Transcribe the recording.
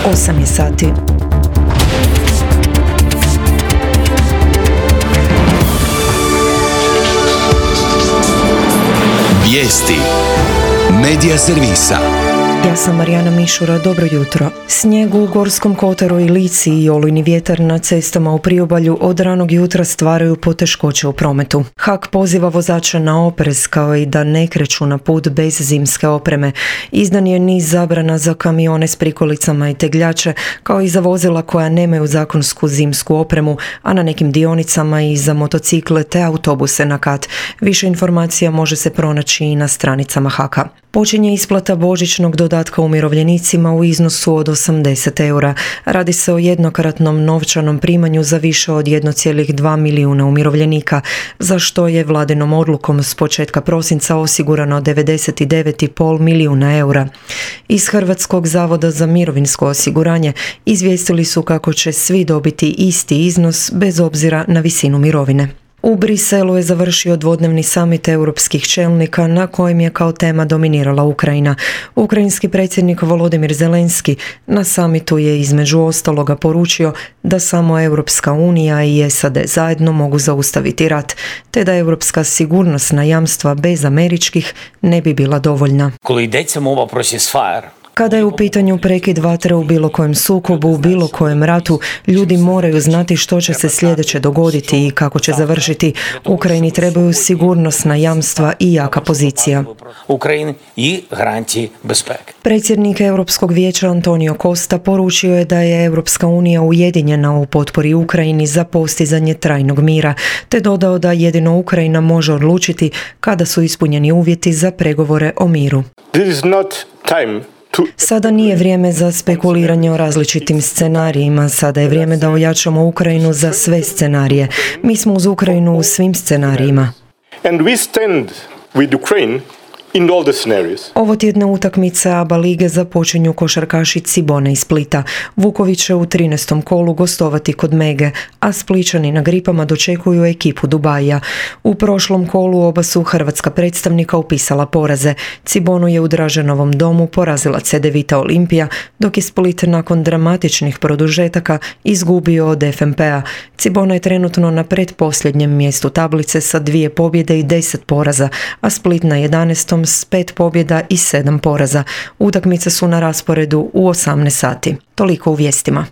8 je sati. Vijesti Medija servisa. Ja sam Marijana Mišura, dobro jutro. Snijeg u Gorskom kotaru i Lici i olujni vjetar na cestama u priobalju od ranog jutra stvaraju poteškoće u prometu. HAK poziva vozača na oprez kao i da ne kreću na put bez zimske opreme. Izdan je niz zabrana za kamione s prikolicama i tegljače, kao i za vozila koja nemaju zakonsku zimsku opremu, a na nekim dionicama i za motocikle te autobuse na kat. Više informacija može se pronaći i na stranicama HAK-a. Počinje isplata božićnog dodatka umirovljenicima u iznosu od 80 eura. Radi se o jednokratnom novčanom primanju za više od 1,2 milijuna umirovljenika, za što je vladinom odlukom s početka prosinca osigurano 99,5 milijuna eura. Iz Hrvatskog zavoda za mirovinsko osiguranje izvijestili su kako će svi dobiti isti iznos bez obzira na visinu mirovine. U Briselu je završio dvodnevni samit europskih čelnika na kojem je kao tema dominirala Ukrajina. Ukrajinski predsjednik Volodimir Zelenski na samitu je između ostaloga poručio da samo Europska unija i SAD zajedno mogu zaustaviti rat, te da europska sigurnosna jamstva bez američkih ne bi bila dovoljna. Kada je u pitanju prekid vatre u bilo kojem sukobu, u bilo kojem ratu, ljudi moraju znati što će se sljedeće dogoditi i kako će završiti. Ukrajini trebaju sigurnosna jamstva i jaka pozicija. Predsjednik Europskog vijeća Antonio Costa poručio je da je Europska unija ujedinjena u potpori Ukrajini za postizanje trajnog mira, te dodao da jedino Ukrajina može odlučiti kada su ispunjeni uvjeti za pregovore o miru. Sada nije vrijeme za spekuliranje o različitim scenarijima, sada je vrijeme da ojačamo Ukrajinu za sve scenarije. Mi smo uz Ukrajinu u svim scenarijima. Ovo tjedne utakmice ABA lige započinju košarkaši Cibone iz Splita. Vuković će u 13. kolu gostovati kod Mege, a Splićani na Gripama dočekuju ekipu Dubaija. U prošlom kolu oba su hrvatska predstavnika upisala poraze. Cibonu je u Draženovom domu porazila Cedevita Olimpija, dok je Split nakon dramatičnih produžetaka izgubio od FNP-a. Cibona je trenutno na pretposljednjem mjestu tablice sa 2 pobjede i 10 poraza, a Split na 11. s 5 pobjeda i 7 poraza. Utakmice su na rasporedu u 18 sati. Toliko u vijestima.